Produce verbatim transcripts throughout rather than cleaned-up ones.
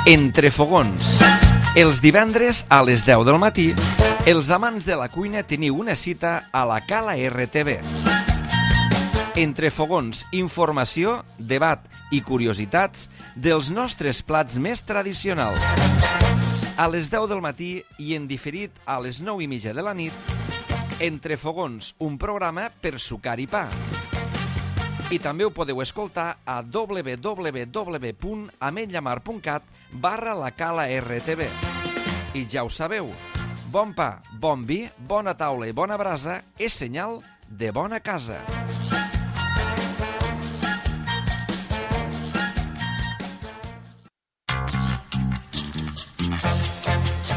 Entre fogons. Els divendres a les deu del matí, els amants de la cuina teniu una cita a la Cala R T V. Entre fogons, informació, debat i curiositats dels nostres plats més tradicionals. A les deu del matí i en diferit a les nou i mitja de la nit, Entre fogons, un programa per sucar i pa. I també ho podeu escoltar a w w w punt ametlllamar punt cat barra la Cala R T V. I ja ho sabeu, bon pa, bon vi, bona taula i bona brasa és senyal de bona casa.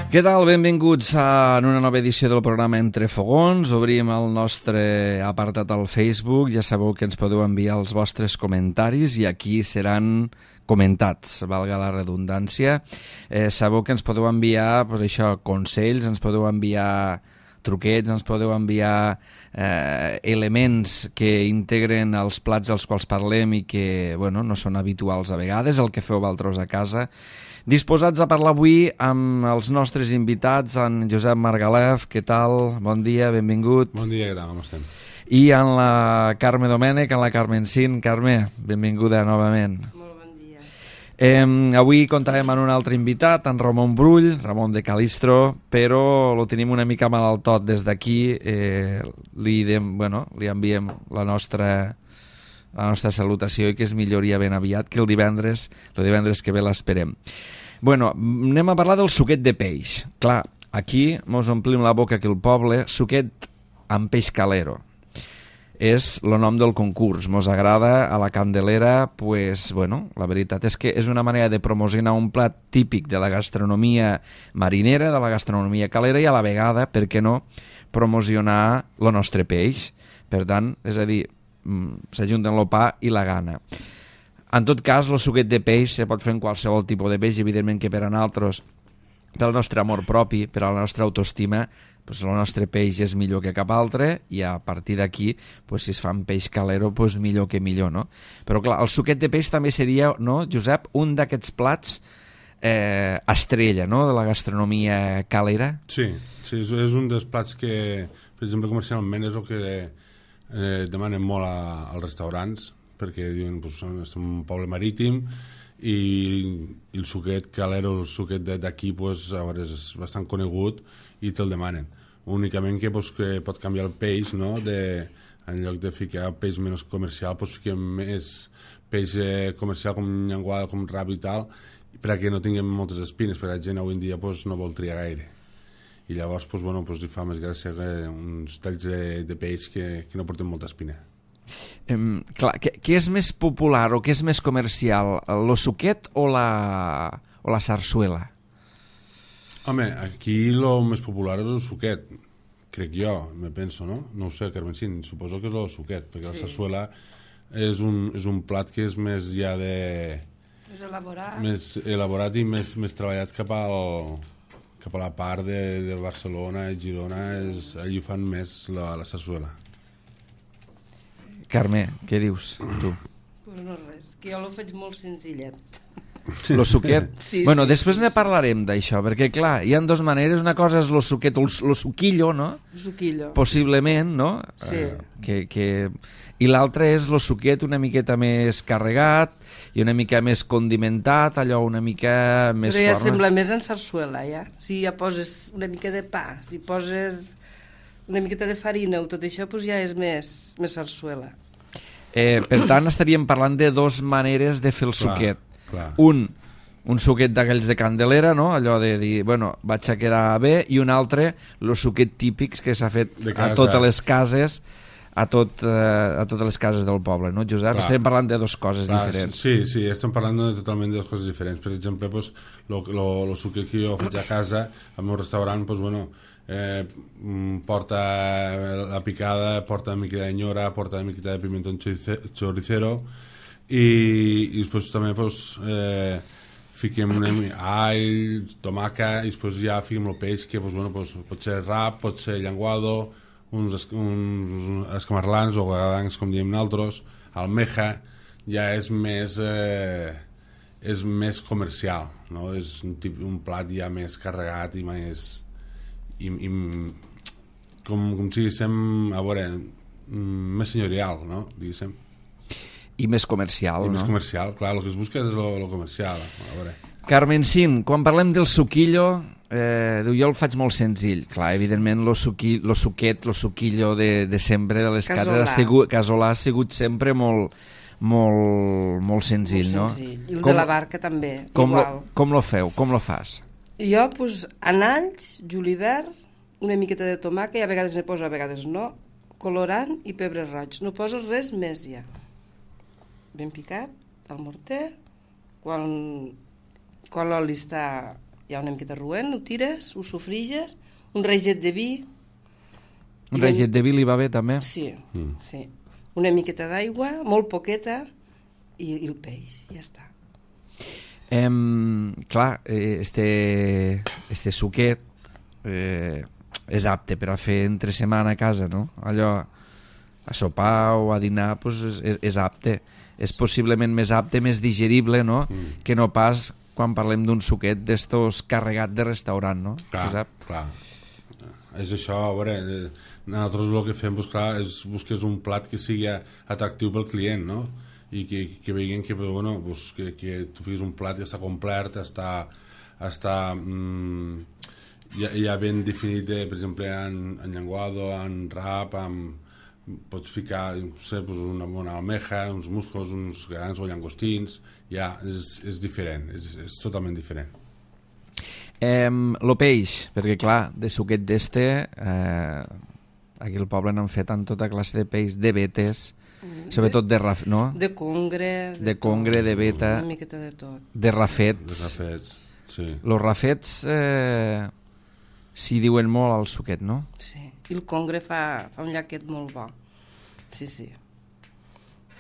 Què tal? Benvinguts a una nova edició del programa Entre Fogons. Obrim el nostre apartat al Facebook. Ja sabeu que ens podeu enviar els vostres comentaris i aquí seran comentats, valga la redundància. Eh, sabeu que ens podeu enviar pues, això, consells, ens podeu enviar truquets, ens podeu enviar eh, elements que integren els plats als quals parlem i que bueno, no són habituals a vegades, el que feu vosaltres a casa. Disposats a parlar avui amb els nostres invitats, en Josep Margalef, què tal? Bon dia, benvingut. Bon dia, què tal, com estem? I en la Carme Domènech, en la Carmen Cin. Carme, benvinguda novament. Molt bon dia. Eh, avui comptarem amb un altre invitat, en Ramon Brull, Ramon de Calistro, però lo tenim una mica mal al tot des d'aquí. Eh, li, dem, bueno, li enviem la nostra... la nostra salutació i que es milloria ben aviat, que el divendres, el divendres que ve l'esperem. Bueno, anem a parlar del suquet de peix. Clar, aquí mos omplim la boca que el poble, suquet amb peix calero. És el nom del concurs. Mos agrada a la Candelera, pues, bueno, la veritat és que és una manera de promocionar un plat típic de la gastronomia marinera, de la gastronomia calera i a la vegada, per què no, promocionar el nostre peix. Per tant, és a dir, s'ajunten el pa i la gana. En tot cas, el suquet de peix se pot fer en qualsevol tipus de peix, evidentment que per a nosaltres, pel nostre amor propi, per a la nostra autoestima, pues el nostre peix és millor que cap altre i a partir d'aquí, pues, si es fa amb peix calero, pues millor que millor, no? Però clar, el suquet de peix també seria, no, Josep, un d'aquests plats eh, estrella, no?, de la gastronomia calera. Sí, sí, és un dels plats que, per exemple, comercialment és el que eh, demanen molt a, als restaurants, perquè diuen, pues, som un poble marítim i, i el suquet calero, el suquet d'aquí, pues, a veure, és bastant conegut i te'l demanen. Únicament que, pues, que pot canviar el peix, no?, de, en lloc de ficar peix menys comercial, pues, fiquem més peix eh, comercial com llenguada, com rap i tal, perquè no tinguem moltes espines, perquè la gent avui en dia, pues, no vol triar gaire. I llavors, pues, bueno, pues, li fa més gràcia eh, uns talls de, de peix que, que no porten molta espina. Eh, clar, què, què és més popular o què és més comercial, el suquet o la, o la sarsuela? Home, aquí el més popular és el suquet, crec jo, me penso, no? No ho sé, Carmen Cin, suposo que és el suquet, perquè sí. La sarsuela és un, és un plat que és més ja de... Més elaborat. Més elaborat i més, més treballat cap al... cap a la part de, de Barcelona i Girona, és, allí fan més la, la sarsuela. Carme, què dius tu? Pues no res, que jo l'ho faig molt senzillet. Lo suquet? Sí, bueno, sí, després sí, ne sí. parlarem d'això, perquè clar, hi ha dues maneres, una cosa és lo suquet, lo suquillo, no? Suquillo. Possiblement, no? Sí. Eh, que, que... I l'altre és lo suquet una miqueta més carregat i una mica més condimentat, allò una mica més Però ja forma. sembla més en sarsuela, ja. Si ja poses una mica de pa, si poses una miqueta de farina o tot això, doncs ja és més, més sarsuela. Eh, per tant, estaríem parlant de dues maneres de fer el Clar, suquet. clar. Un, un suquet d'aquells de Candelera, no? Allò de dir, bueno, vaig a quedar bé, i un altre, el suquet típics que s'ha fet De a casa. totes les cases, a, tot, eh, a totes les cases del poble, no, Josep? Clar. Estem parlant de dues coses Clar, diferents. sí, sí, estem parlant de, totalment de coses diferents. Per exemple, pues, lo, lo, lo suquet que jo faig a casa, al meu restaurant, pues, bueno, eh, porta la picada, porta una mica d'enyora, porta una miqueta de pimentón choricero i, i després també pues, eh, fiquem una all, tomaca i després ja fiquem el peix que pues, bueno, pues, pot ser rap, pot ser llenguado, uns, es, uns escamarlans o gadancs com diem nosaltres, almeja, ja és més eh, és més comercial, no? És un, tip, un plat ja més carregat i més... I, i, com, com si diguéssim, a veure, més senyorial, no? Diguéssim. I més comercial, I no? més comercial, clar, el que es busca és lo comercial, a veure. Carmen Sin, quan parlem del suquillo, eh, diu, jo el faig molt senzill. Clar, evidentment, lo, suqui, lo suquet, lo suquillo de, de sempre, de les cases, ha sigut, casolà ha sigut sempre molt, molt, molt senzill, molt no? senzill. I el com, de la barca també, com igual. Lo, com lo feu? Com lo fas? Jo, doncs, analls, julivert, una miqueta de tomàquet, i a vegades ne poso, a vegades no, colorant i pebre roig. No poso res més ja. Ben picat, al morter, quan, quan l'oli està ja una miqueta roent, ho tires, ho sofriges, un reget de vi. Un reget de vi li va bé també? Sí, mm. sí. Una miqueta d'aigua, molt poqueta, i, i el peix, ja està. Eh, clar, este, este suquet eh, és apte per a fer entre setmana a casa, no? Allò, a sopar o a dinar, pues, és, és apte. És possiblement més apte, més digerible, no? Mm. Que no pas quan parlem d'un suquet d'estos carregat de restaurant, no? Clar, clar. És això, a veure, nosaltres el que fem, pues, clar, és busques un plat que sigui atractiu pel client, no? I que, que veguin que, bueno, pues, que, que tu fes un plat que està complet, està, està mm, ja, ja ben definit, de, per exemple, en, en llenguado, en rap, en, pots ficar, no sé, pues una, una almeja, uns musclos, uns grans o llangostins, ja és, és diferent, és, és totalment diferent. Eh, lo peix, perquè clar, de suquet d'este, eh, aquí al poble n'han fet en tota classe de peix, de vetes, mm, sobretot de, raf, no? De congre, de, de congre, tot, de veta, una miqueta de tot. De rafets. De rafets, sí. Los rafets eh, s'hi diuen molt al suquet, no? Sí, i el congre fa, fa un llaquet molt bo. Sí, sí.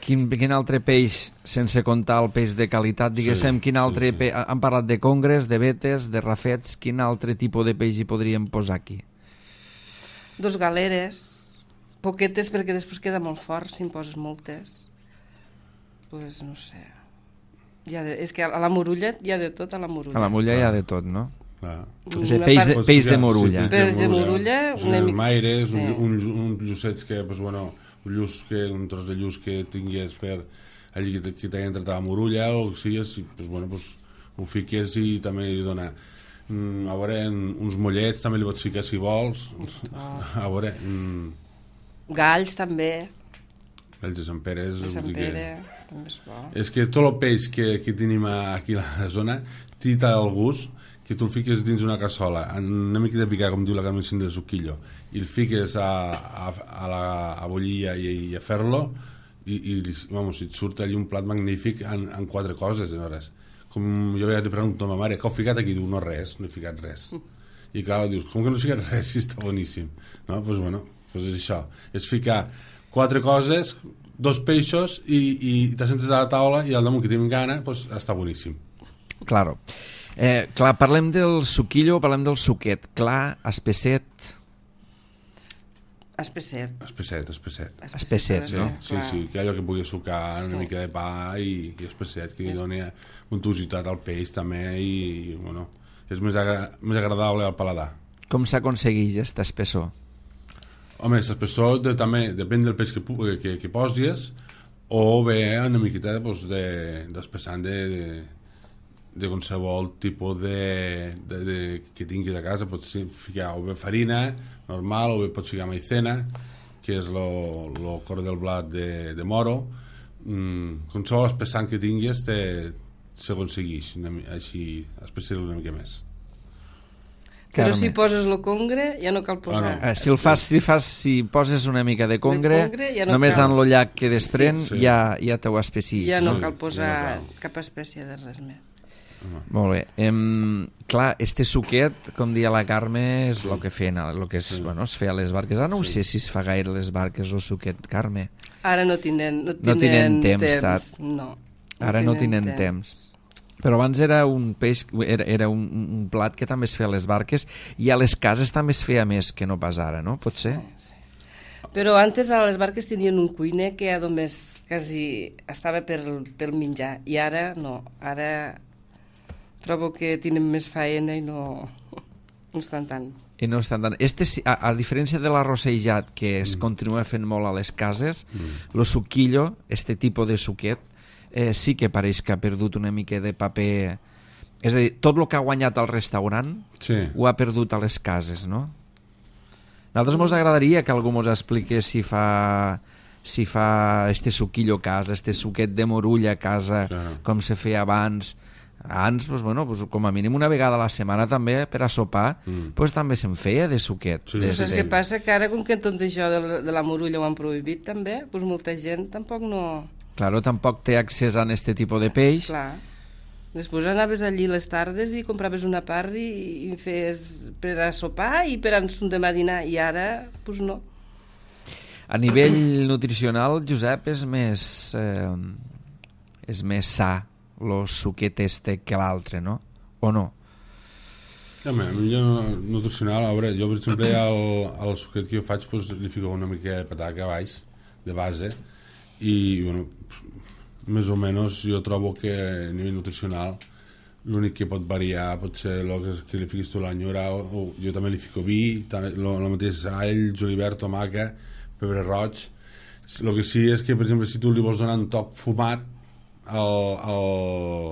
Quin, quin altre peix, sense comptar el peix de qualitat, diguéssim, sí, quin altre sí, sí. peix... Han parlat de congres, de vetes, de rafets, quin altre tipus de peix hi podríem posar aquí? Dos galeres, poquetes perquè després queda molt fort si en poses moltes. Pues no sé. Ja de, és que a la Morulla hi ha de tot, a la Morulla. A la Morulla hi ha de tot, no? Clar. És peix, de, peix de Morulla. Sí, peix de Morulla, una mica... Maires, sí. un, un, un llucets que, pues, bueno, un, lluç que, un tros de lluç que tingués per allí que, que t'hagi entrat a la Morulla o que sigues, pues, bueno, pues, ho fiques i també li dona mm, a veure, uns mollets també li pots ficar si vols. Oh. A veure... Mm, galls també. Galls de Sant Pere. De Sant Pere, també és bo. És que tot el peix que, que tenim aquí a la zona té tal el gust que tu el fiques dins una cassola, una mica de picar, com diu la Carmen Sin del suquillo, i el fiques a, a, a, la, a bullir i, i a fer-lo, i, i vamos, et surt allí un plat magnífic en, en quatre coses, en hores. Com jo veia, li pregunto a ma mare, què heu ficat aquí? Diu, no res, no he ficat res. I clar, dius, com que no he ficat res si està boníssim? No? Doncs pues, bueno, pues és això, és ficar quatre coses, dos peixos, i, i te sentes a la taula, i al damunt que tenim gana, pues, està boníssim. Claro. Eh, clar, parlem del suquillo, parlem del suquet. Clar, espesset... Espesset. Espesset, espesset. Espesset, sí, no? Sí, sí, que allò que pugui sucar sí. Una mica de pa i, i espesset, que li doni untuositat al peix també i, bueno, és més, agra més agradable al paladar. Com s'aconsegueix aquesta espessor? Home, l'espessor de, també depèn del peix que, que, que posis, o bé una miqueta pues, d'espessant de, de, de qualsevol tipus de, de, de, que tinguis a casa. Pots ficar o bé farina normal, o bé pots ficar maicena, que és el cor del blat de, de moro. Mm, qualsevol espessant que tinguis s'aconsegueix així, espessar una mica més. Però si poses el congre ja no cal posar... Ah, no. Si el fas, si fas, si poses una mica de congre, de congre ja no només cal... en el llac que desprèn sí, sí. ja, ja t'ho espessis. Ja no sí, cal posar ja no cal. cap espècie de res més. Uh-huh. Molt bé. Em, clar, este suquet, com dia la Carme, és el que feien, el que es, sí. bueno, es feia a les barques. Ara no sí. ho sé si es fa gaire a les barques el suquet, Carme. Ara no tenen, no tenen, no tenen temps. temps. No, no Ara no tenen temps. temps. Però abans era un peix, era, era un, un plat que també es feia a les barques i a les cases també es feia més que no pas ara, no? Pot ser? Sí, sí. Però antes a les barques tenien un cuiner que només quasi estava per, pel menjar i ara no, ara trobo que tenen més faena i no, no estan tant. I no estan tant. Este, a, a diferència de l'arrossejat, que es mm. continua fent molt a les cases, mm. lo suquillo, este tipus de suquet, eh, sí que pareix que ha perdut una mica de paper. És a dir, tot el que ha guanyat al restaurant sí. ho ha perdut a les cases, no? A nosaltres ens agradaria que algú ens expliqués si fa, si fa este suquillo a casa, este suquet de morulla a casa, claro. com se feia abans. Abans, pues, bueno, pues, com a mínim una vegada a la setmana també per a sopar, mm. pues, també se'n feia de suquet. Sí, de, saps de... què passa? Que ara, com que tot això de la, de la morulla ho han prohibit també, pues, molta gent tampoc no... Claro, tampoc té accés a aquest tipus de peix. Clar. Després anaves allí les tardes i compraves una part i, i fes per a sopar i per a un demà dinar, i ara, pues no. A nivell nutricional, Josep, és més, eh, és més sa el suquet este que l'altre, no? O no? Home, a mi jo, nutricional, a veure, jo per exemple al, al suquet que jo faig pues, li fico una mica de pataca a baix, de base, i bueno, més o menys jo trobo que a nivell nutricional l'únic que pot variar pot ser el que, que li fiquis tu l'anyora, o, o jo també li fico vi, el mateix all, julivert, tomaca, pebre roig. El que sí és que, per exemple, si tu li vols donar un toc fumat al, al,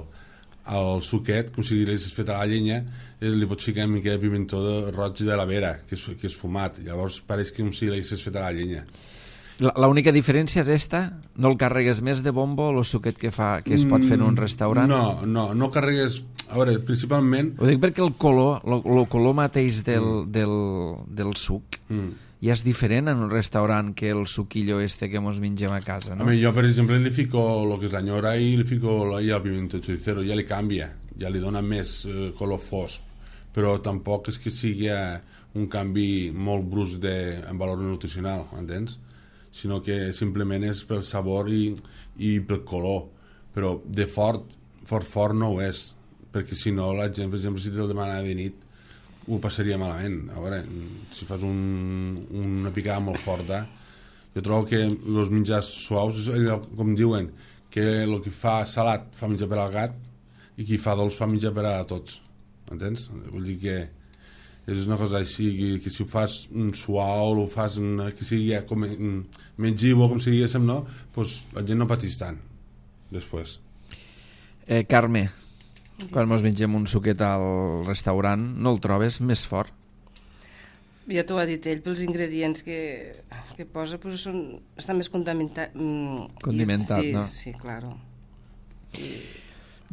al suquet, com si l'haguessis fet a la llenya, li pots ficar una mica de pimentó de roig de la vera, que és, que és fumat. Llavors pareix com si l'haguessis fet a la llenya. L'única diferència és esta? No el carregues més de bombo o el suquet que, fa, que es pot fer en un restaurant? No, no, no carregues... A veure, principalment... Ho dic perquè el color, el color mateix del, mm. del, del suc mm. ja és diferent en un restaurant que el suquillo este que mos mengem a casa, no? A mi, jo, per exemple, li fico el que és l'anyora i li fico i el pimiento choricero, ja li canvia, ja li dona més eh, color fosc, però tampoc és que sigui un canvi molt brusc de, en valor nutricional, entens? Sinó que simplement és pel sabor i, i pel color, però de fort, fort, fort no ho és, perquè si no la gent, per exemple, si te'l demana de nit ho passaria malament. A veure, si fas un, una picada molt forta, jo trobo que els menjars suaus és allò, com diuen, que el que fa salat fa menjar per al gat i qui fa dolç fa menjar per a tots, entens? Vull dir que és una cosa així, que, que si ho fas un suau, o ho fas una, que sigui com mengivo, com si diguéssim, no? Pues la gent no patís tant, després. Eh, Carme, quan mos mengem un suquet al restaurant, no el trobes més fort? Ja t'ho ha dit ell, pels ingredients que, que posa, pues són, està més contaminat. Mm, Condimentat, sí, no? Sí, claro. I...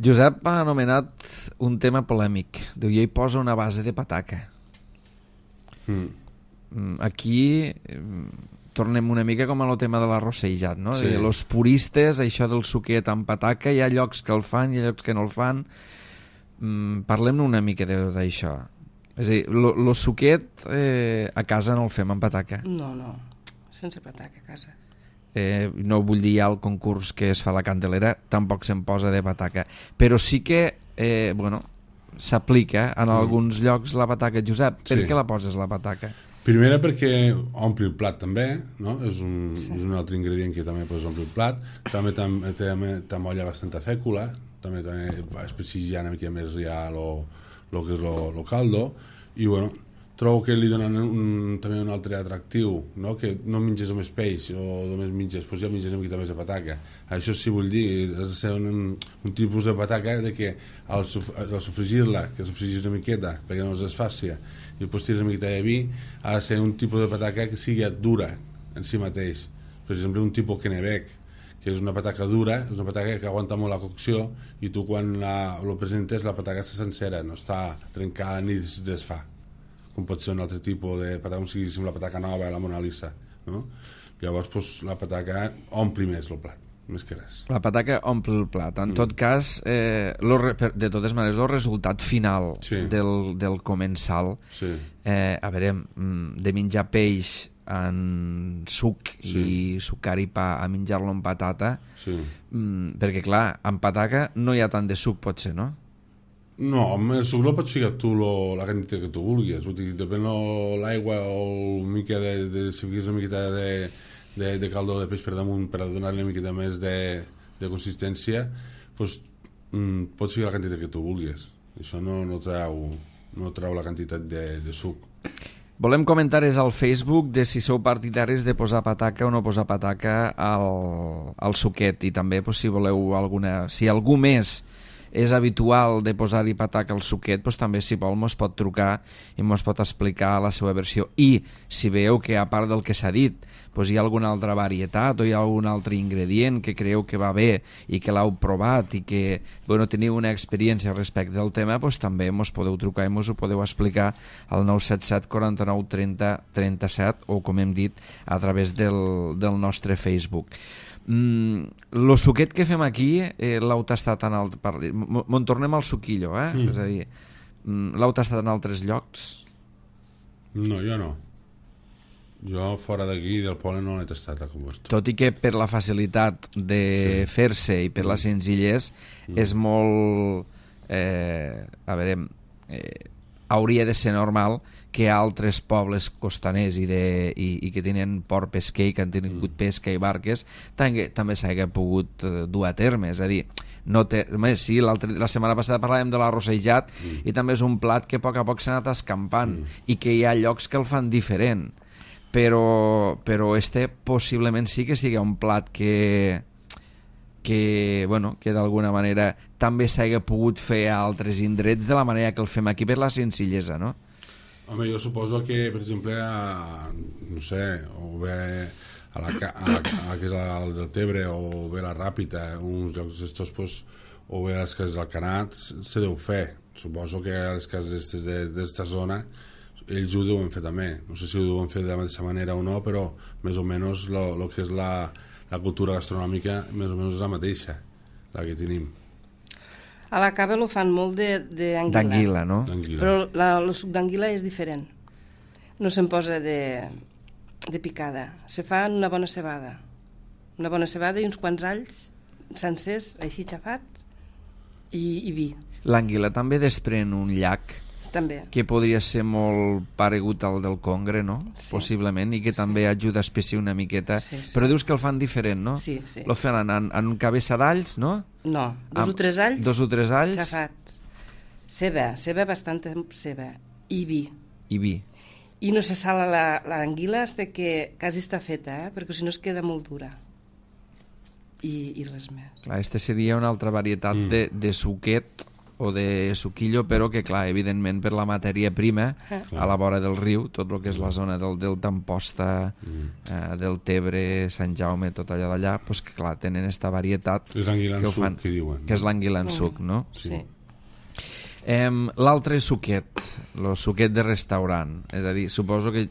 Josep ha anomenat un tema polèmic. Diu, jo hi poso una base de pataca. Mm. Aquí tornem una mica com a el tema de l'arrossejat, no? Sí. Els puristes, això del suquet amb pataca, hi ha llocs que el fan i hi ha llocs que no el fan. Mm, parlem una mica d'això. És a dir, el suquet eh, a casa no el fem amb pataca. No, no, sense pataca a casa. Eh, no vull dir ja el concurs que es fa a la Candelera, tampoc se'n posa de pataca. Però sí que, eh, bueno, s'aplica en mm. alguns llocs la pataca. Josep, per sí. què la poses la pataca? Primera perquè ompli el plat també, no? És un, sí. és un altre ingredient que també pots omplir el plat. També t'amolla bastanta fècula, també, també es precisia una mica més ja lo, lo que és lo, lo caldo, i bueno, trobo que li donen un, també un altre atractiu, no? Que no menges només peix o només menges, doncs ja menges una mica més de pataca. Això sí vull dir, has de ser un, un tipus de pataca de que al, al sofregir-la, que sofregis una miqueta perquè no es desfàcia, i després tires una miqueta de vi, ha de ser un tipus de pataca que sigui dura en si mateix. Per exemple, un tipus Kennebec, que és una pataca dura, és una pataca que aguanta molt la cocció, i tu quan la, lo presentes la pataca està sencera, no està trencada ni es desfà, com pot ser un altre tipus de pataca, com si diguéssim la pataca nova, la Mona Lisa, no? Llavors, pues, la pataca ompli més el plat, més que res. La pataca omple el plat. En mm. tot cas, eh, lo, de totes maneres, el resultat final sí. del, del comensal, sí. eh, a veure, de menjar peix en suc sí. i sucar i pa a menjar-lo amb patata, sí. mm, perquè, clar, amb pataca no hi ha tant de suc, potser, no? No, amb el suc no pots ficar tu lo, la quantitat que tu vulguis. Vull dir, depèn l'aigua o una mica de, de, si fiques una miqueta de, de, de caldo de peix per damunt per donar-li una miqueta més de, de consistència, doncs mm, pots ficar la quantitat que tu vulguis. Això no, no, treu, no treu la quantitat de, de suc. Volem comentaris al Facebook de si sou partidaris de posar pataca o no posar pataca al, al suquet, i també pues, si voleu alguna... Si algú més és habitual de posar-hi pataca al suquet, doncs també, si vol, mos pot trucar i mos pot explicar la seva versió. I si veieu que, a part del que s'ha dit, doncs hi ha alguna altra varietat o hi ha algun altre ingredient que creieu que va bé i que l'heu provat i que bueno, teniu una experiència respecte del tema, doncs també mos podeu trucar i mos ho podeu explicar al nou set set quaranta-nou trenta trenta-set o, com hem dit, a través del, del nostre Facebook. Mm, lo suquet que fem aquí eh, l'heu tastat en alt... Me'n tornem al suquillo, eh? Mm. És a dir, mm, l'heu tastat en altres llocs? No, jo no. Jo fora d'aquí del poble no l'he tastat a Compost. Tot i que per la facilitat de sí. fer-se i per la senzillesa mm. és molt... Eh, a veure... Eh, hauria de ser normal que altres pobles costaners i, de, i, i que tenen port pesquer i que han tingut mm. pesca i barques també, també s'hagi pogut eh, dur a terme. És a dir, no té, sí, la setmana passada parlàvem de l'arrossejat mm. i també és un plat que a poc a poc s'ha anat escampant mm. i que hi ha llocs que el fan diferent, però, però este possiblement sí que sigui un plat que que, bueno, que d'alguna manera també s'hagi pogut fer a altres indrets de la manera que el fem aquí per la senzillesa, no? Home, jo suposo que, per exemple, a, no sé, o bé a la, a la, a, que és el del Tebre o bé la Ràpita, uns llocs d'estos, pues, o bé a les cases del Canat, se deu fer. Suposo que a les cases d'esta zona ells ho deuen fer també. No sé si ho deuen fer de la mateixa manera o no, però més o menys el que és la la cultura gastronòmica més o menys és la mateixa, la que tenim. A la cava lo fan molt d'anguila. D'anguila, no? Però la, el suc d'anguila és diferent. No se'n posa de, de picada. Se fa en una bona cebada. Una bona cebada i uns quants alls sencers, així xafats, i, i vi. L'anguila també desprèn un llac també. Que podria ser molt paregut al del congre, no? Sí. Possiblement, i que també sí. ajuda a espessir una miqueta. Sí, sí. Però dius que el fan diferent, no? Sí, sí. Lo fan en, en un cabeça d'alls, no? No, dos Amb, o tres alls. Dos o tres alls. Xafats. Ceba, ceba, bastanta ceba. I vi. I vi. I no se sala l'anguila fins que quasi està feta, eh? Perquè si no es queda molt dura. I, i res més. Clar, este seria una altra varietat mm. de, de suquet o de suquillo, però que, clar, evidentment per la matèria prima, ah. a la vora del riu, tot el que és la zona del Delta Amposta, mm. eh, del Tebre, Sant Jaume, tot allà d'allà, doncs que, clar, tenen esta varietat que és l'anguila en suc, que diuen. Que és l'anguila en mm. suc, no? Sí. sí. Eh, L'altre suquet, el suquet de restaurant, és a dir, suposo que,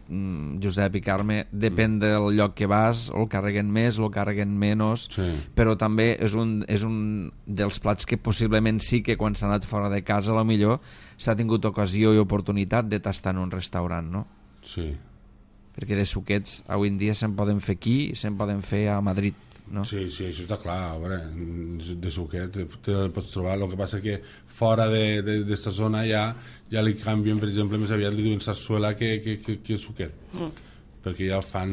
Josep i Carme, depèn del lloc que vas, o el carreguen més o el carreguen menys, sí. però també és un, és un dels plats que possiblement sí que quan s'ha anat fora de casa, a lo millor s'ha tingut ocasió i oportunitat de tastar en un restaurant, no? Sí. Perquè de suquets avui en dia se'n poden fer aquí i se'n poden fer a Madrid, no? Sí, sí, això està clar. A veure, de suquet te el pots trobar. El que passa que fora d'esta zona ja, ja li canvien, per exemple, més aviat li diuen sarsuela que, que, que, que el suquet. Mm. Perquè ja el fan...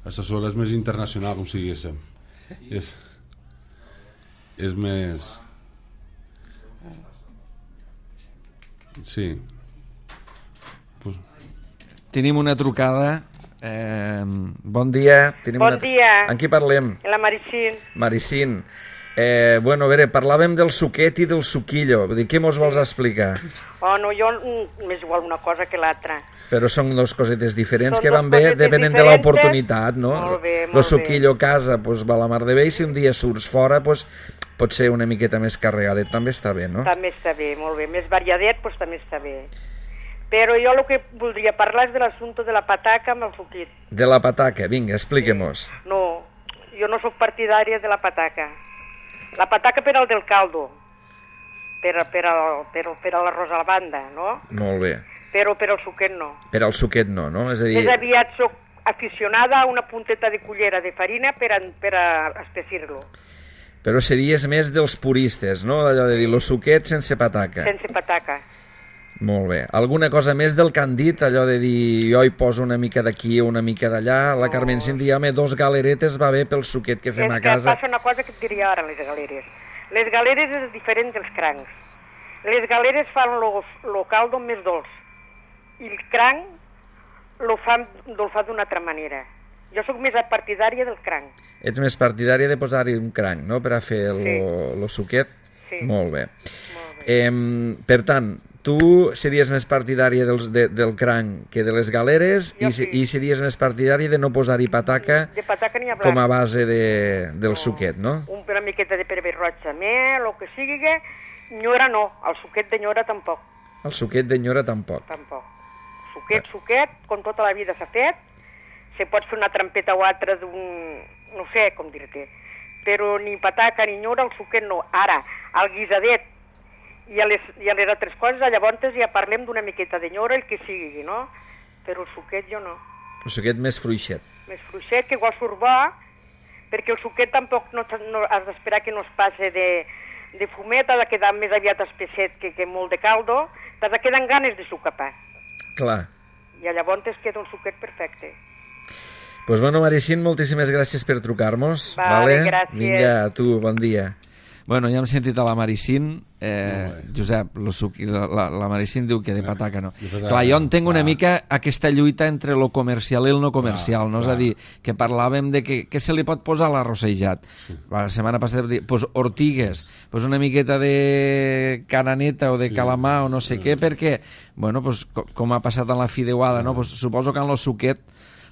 La sarsuela és més internacional, com si diguéssim. Sí. És, és més... Sí. Pues... Tenim una trucada... Eh, bon dia. Tenim bon una... dia. En qui parlem? La Maricín. Maricín. Eh, bueno, a veure, parlàvem del suquet i del suquillo. Vull dir, què mos vols explicar? Oh, no, jo m'és igual una cosa que l'altra. Però són dues cosetes diferents són que van bé, depenent de l'oportunitat, no? Molt bé, molt el suquillo a casa pues, va a la mar de bé i si un dia surts fora pues, pot ser una miqueta més carregadet. També està bé, no? També està bé, molt bé. Més variadet pues, també està bé. Però jo el que voldria parlar és de l'assumpte de la pataca amb el suquit. De la pataca, vinga, expliquem-nos. Sí. No, jo no sóc partidària de la pataca. La pataca per al del caldo, per, per, al, per, per a l'arròs a la banda, no? Molt bé. Però per al suquet no. Per al suquet no, no? És a dir... Més aviat sóc aficionada a una punteta de cullera de farina per a, per a espessir-lo. Però series més dels puristes, no? Allò de dir, lo suquet sense pataca. Sense pataca. Molt bé. Alguna cosa més del que han dit, allò de dir jo hi poso una mica d'aquí o una mica d'allà? La Carmen Cint dia, home, dos galeretes va bé pel suquet que fem és a casa. És que passa una cosa que et diria ara, les galeres. Les galeres és diferent dels crancs. Les galeres fan el caldo més dolç i el cranc lo fan dolçat d'una altra manera. Jo sóc més partidària del cranc. Ets més partidària de posar-hi un cranc, no?, per a fer el sí. suquet? Sí. Molt bé. Molt bé. Eh, per tant, tu series més partidària dels, de, del cranc que de les galeres i, sí. i series més partidària de no posar-hi pataca, de pataca ni com a base de, del no. suquet, no? Una miqueta de pebre roig també, el que sigui. Nyora no, el suquet de nyora tampoc. El suquet de nyora tampoc. Tampoc. Suquet, suquet, com tota la vida s'ha fet, se pot fer una trampeta o altra d'un... no sé com dir-te, però ni pataca ni nyora, el suquet no. Ara, el guisadet i a les, i a les altres coses, llavors ja parlem d'una miqueta de nyora, el que sigui, no? Però el suquet jo no. El suquet més fruixet. Més fruixet, que igual surt bo, perquè el suquet tampoc no, no has d'esperar que no es passi de, de fumet, ha de quedar més aviat espesset que, que molt de caldo, t'has de quedar amb ganes de sucar pa. Clar. I llavors es queda un suquet perfecte. Pues bueno, Maricín, moltíssimes gràcies per trucar-nos. Vale, vale? Gràcies. Vinga, a tu, bon dia. Bueno, ja hem sentit a la Maricín. Eh, Josep, lo suqui, la, la Maricín diu que de pataca no. De pataca, clar, jo entenc una mica aquesta lluita entre lo comercial i el no comercial, clar, no? Clar. És a dir, que parlàvem de que, que se li pot posar a l'arrossejat. Sí. La setmana passada vam dir, pues ortigues, pues una miqueta de cananeta o de sí, calamar o no sé sí. què, perquè, bueno, pues, com ha passat en la fideuada, no? Pues, suposo que en lo suquet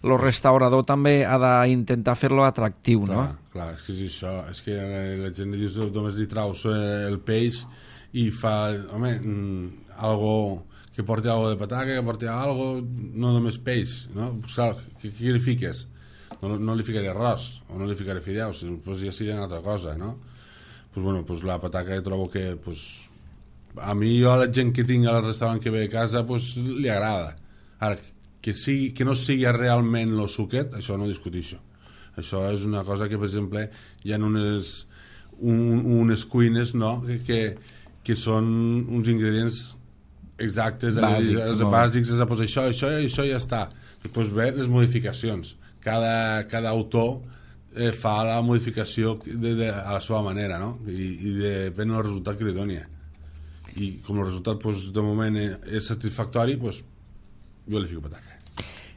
el restaurador també ha d'intentar fer-lo atractiu, clar, no? Clar, és que és això, és que la gent diu que només li traus el peix i fa, home, mm, algo que porti algo de pataca, que porti algo, no només peix, no? Pues, clar, què, què li fiques? No, no li ficaré arròs, o no li ficaré fideus, pues ja seria una altra cosa, no? Pues bueno, pues la pataca trobo que, pues, a mi jo a la gent que tinc al restaurant que ve a casa, pues li agrada. Ara, que, sigui, que no sigui realment el suquet, això no discutixo. Això és una cosa que, per exemple, hi ha unes, un, unes cuines, no?, que, que, que són uns ingredients exactes, bàsics, els bàsics, és a posar això, això i això i ja està. Després ve les modificacions. Cada, cada autor eh, fa la modificació de, de, a la seva manera, no?, i, i depèn del resultat que li doni. I com el resultat, pues, de moment, és satisfactori, pues, jo li fico pataca.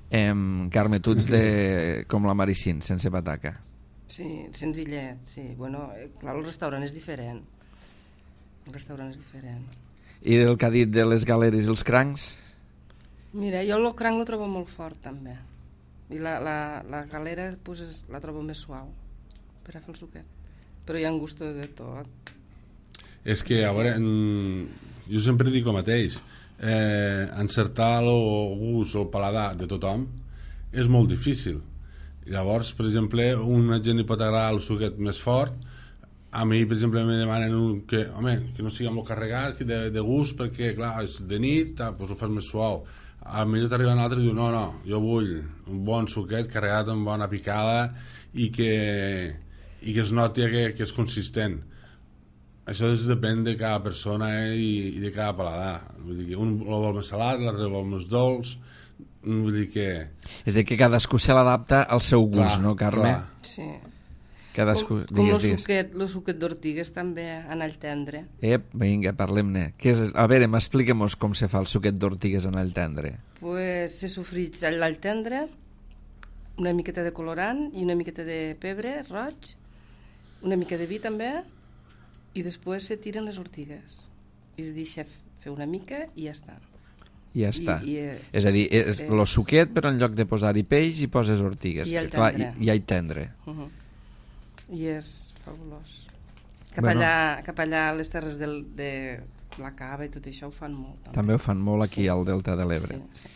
Eh, Carme, tu ets de, com la Maricín, sense pataca. Sí, senzillet, sí. Bueno, clar, el restaurant és diferent. El restaurant és diferent. I el que ha dit de les galeres i els crancs? Mira, jo el cranc el trobo molt fort, també. I la, la, la galera pues, és, la trobo més suau per a fer el suquet. Però hi ha un gust de tot. És que, a veure, jo sempre dic el mateix. Eh, encertar el gust o el paladar de tothom és molt difícil. Llavors, per exemple, una gent li pot agradar el suquet més fort. A mi, per exemple, me demanen un que, home, que no sigui molt carregat, de, de gust, perquè, clar, és de nit, doncs ho fas més suau. A mi t'arriba un altre i diu, no, no, jo vull un bon suquet carregat amb bona picada i que, i que es noti que, que és consistent. Això depèn de cada persona eh, i, i de cada paladar. Vull dir que un el vol més salat, l'altre vol més dolç. Vull dir que... És a dir, que cadascú se l'adapta al seu gust, clar, no, Carme? Clar. Sí. Cadascú... Com, com el suquet, el suquet d'ortigues també, en all tendre. Ep, vinga, parlem-ne. A veure, m'expliquem-nos com se fa el suquet d'ortigues en all tendre. Pues se sofreix l'all tendre, una miqueta de colorant i una miqueta de pebre roig, una mica de vi també, i després se tiren les ortigues i es deixa fer una mica i ja està. I ja està. I, i, és a dir, és el suquet, però en lloc de posar-hi peix hi poses ortigues. I all tendre. I, i all tendre. Uh -huh. I és fabulós. Cap, bueno, allà, cap allà a les terres del, de la Cava i tot això ho fan molt. També, també ho fan molt aquí sí. al Delta de l'Ebre. Sí, sí.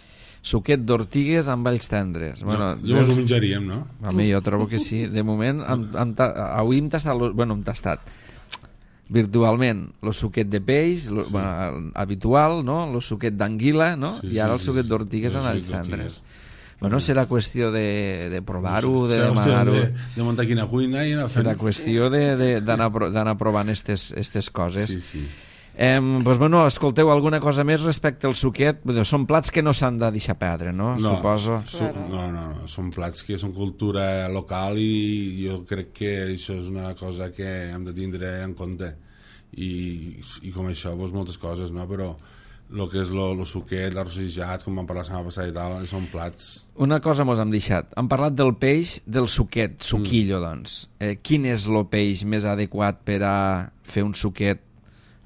Suquet d'ortigues amb alls tendres. Bueno, no, llavors ho menjaríem, no? A mi jo trobo que sí. De moment, hem, hem, avui hem tastat... Bueno, hem tastat virtualment el suquet de peix, lo, sí. bueno, habitual, no? El suquet d'anguila, no? Sí, I ara sí, el suquet sí, d'ortigues sí. en alls tendres. Bueno, serà qüestió de, de provar-ho, de demanar-ho. De, de muntar quina cuina i anar fent... Serà qüestió d'anar provant aquestes coses. Sí, sí. Eh, doncs, bueno, escolteu, alguna cosa més respecte al suquet? Són plats que no s'han de deixar perdre, no? No, Suposo. Su, no, no, no, són plats que són cultura local i jo crec que això és una cosa que hem de tindre en compte. i, i com això, doncs, moltes coses, no? Però el que és el suquet, l'arrossejat, com vam parlar la setmana passada i tal, són plats. Una cosa mos hem deixat. Hem parlat del peix, del suquet, suquillo, mm. doncs. Eh, quin és el peix més adequat per a fer un suquet,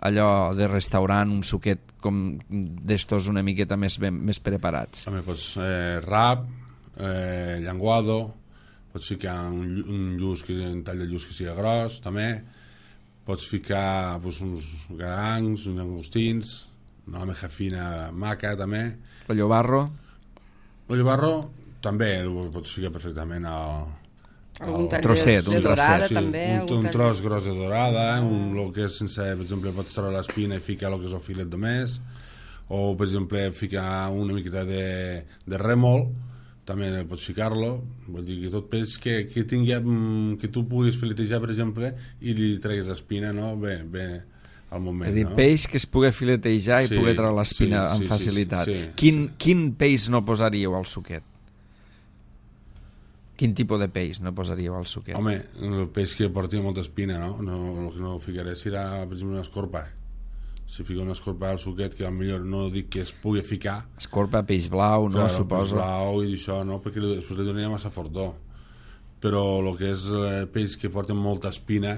allò de restaurant, un suquet com d'estos una miqueta més, ben, més preparats? També pots eh, rap, eh, llenguado, pots ficar un, un lluç, que, un tall de lluç que sigui gros, també. Pots ficar doncs, uns gadancs, uns llangostins, una almeja fina maca, també. El llobarro? El llobarro també el pots ficar perfectament al... Algun tall trosset, de, un de dorada, trosset, sí, també. Un, un tros gros de dorada, un, lo que és sense, per exemple, pots treure l'espina i ficar el que és el filet de més, o, per exemple, ficar una miqueta de, de rèmol, també pots ficar-lo, vol dir que tot peix que, que tingui, que tu puguis filetejar, per exemple, i li treguis l'espina, no?, bé, bé, al moment, és a dir, no? peix que es pugui filetejar i sí, pugui treure l'espina sí, amb sí, facilitat. Sí, sí, quin, sí. quin peix no posaríeu al suquet? Quin tipus de peix no posaríeu al suquet? Home, el peix que porti molta espina, no? no el que no ficaré serà, per exemple, una escorpa. Si fico una escorpa al suquet, que potser no dic que es pugui ficar. Escorpa, peix blau, no? Claro, Suposo. peix blau i això, no? Perquè després li donaria massa fortó. Però el que és eh, peix que porta molta espina,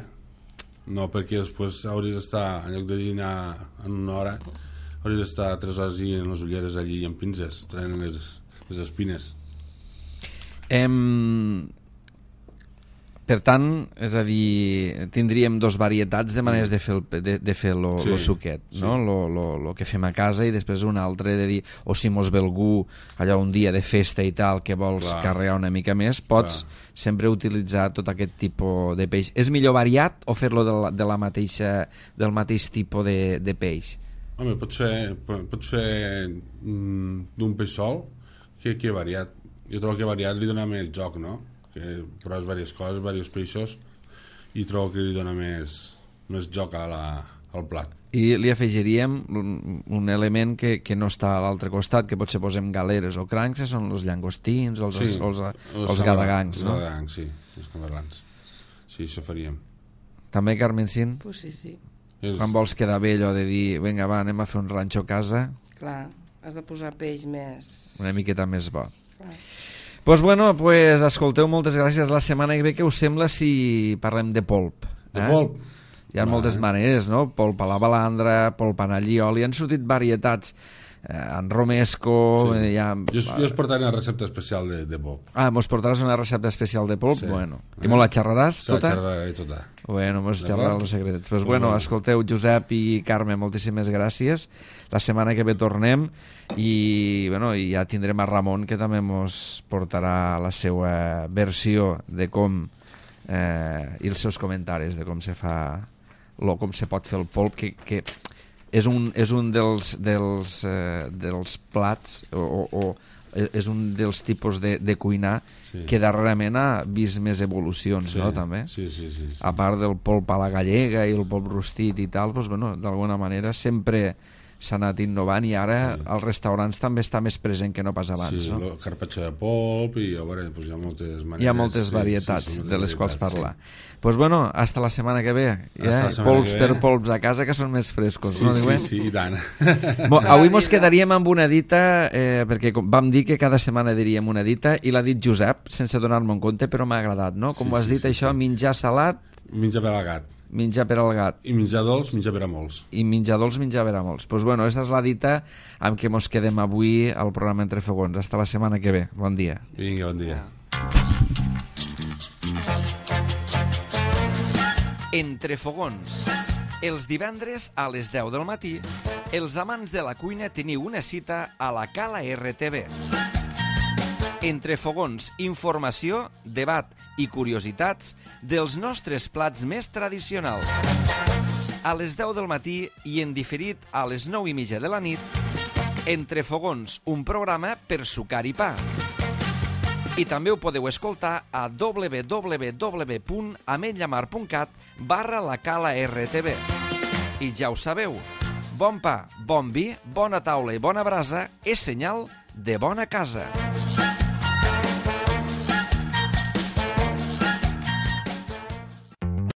no, perquè després hauries d'estar, en lloc de dinar en una hora, hauries d'estar tres hores i en les ulleres allí amb pinces, traient les, les espines. Em... Per tant, és a dir, tindríem dos varietats de maneres de fer el, de, de fer lo, Sí, lo suquet, sí. no? Lo, lo, lo que fem a casa i després un altre de dir, o si mos ve algú allò un dia de festa i tal que vols Clar. carregar una mica més, pots Clar. sempre utilitzar tot aquest tipus de peix. És millor variat o fer-lo de, la, de la mateixa, del mateix tipus de, de peix? Home, pots fer, pots fer mm, d'un peix sol que, que variat. Jo trobo que variat li dona més joc, no? Que proves diverses coses, diversos peixos, i trobo que li dona més, més joc a la, al plat. I li afegiríem un, un element que, que no està a l'altre costat, que potser posem galeres o crancs, que són els llangostins o els, Sí, els, els, els, els gadagancs, no? Els gadagancs, sí, els camarlans. Sí, això faríem. També, Carmencín? Pues sí, sí. És... Quan vols quedar bé allò de dir, vinga, va, anem a fer un ranxo a casa, Clar, has de posar peix més... una miqueta més bo. Clar. Pues bueno, pues escolteu, moltes gràcies. La setmana que ve, què us sembla si parlem de polp? De polp? Hi ha Va, moltes eh? maneres, no? Polp a la balandra, polp en allioli, han sortit varietats. Eh, en romesco... Sí. Hi ha... Jo, jo us portaré una recepta especial de, de polp. Ah, mos portaràs una recepta especial de polp? Sí. Bueno. I Eh? molt la xerraràs, Se la tota? xerraré tota. Bueno, mos D'acord? xerraràs els secrets. Pues Molt bueno, bé. escolteu, Josep i Carme, moltíssimes gràcies. La setmana que ve tornem i, bueno, i ja tindrem a Ramon, que també mos portarà la seva versió de com eh, i els seus comentaris de com se fa lo, com se pot fer el polp, que, que és un, és un dels, dels, eh, dels plats o, o, o és un dels tipus de, de cuinar Sí. que darrerament ha vist més evolucions, Sí, no, també? sí, sí, sí, sí. A part del polp a la gallega i el polp rostit i tal, doncs, bueno, d'alguna manera sempre s'ha anat innovant i ara Sí. als restaurants també està més present que no pas abans, Sí, no? el carpaccio de polp i a veure, doncs hi ha moltes maneres. Hi ha moltes sí, varietats sí, sí, moltes de les quals varietats, parlar. Doncs pues bueno, hasta la setmana que ve. Hasta Ja? la setmana Polps que per ve. polps a casa que són més frescos, Sí, no? sí, Diuen? sí, i tant. Bo, avui mos vida. quedaríem amb una dita, eh, perquè com vam dir que cada setmana diríem una dita, i l'ha dit Josep, sense donar-me en compte, però m'ha agradat, no? Com Sí, ho has sí, dit, sí, això, sí. menjar salat, Menja per al gat. menjar per al gat. I menjar dolç, menjar per a molts. I menjar dolç, menjar per a molts. Doncs pues bueno, aquesta és la dita amb què mos quedem avui al programa Entre Fogons. Hasta la setmana que ve. Bon dia. Vinga, bon dia. Entre Fogons. Els divendres a les deu del matí, els amants de la cuina teniu una cita a la Cala R T V. Entre Fogons, informació, debat i curiositats dels nostres plats més tradicionals. A les deu del matí i en diferit a les nou i mitja de la nit, Entre Fogons, un programa per sucar i pa. I també ho podeu escoltar a w w w punt ametlllamar punt cat barra la Cala R T V. I ja ho sabeu, bon pa, bon vi, bona taula i bona brasa és senyal de bona casa.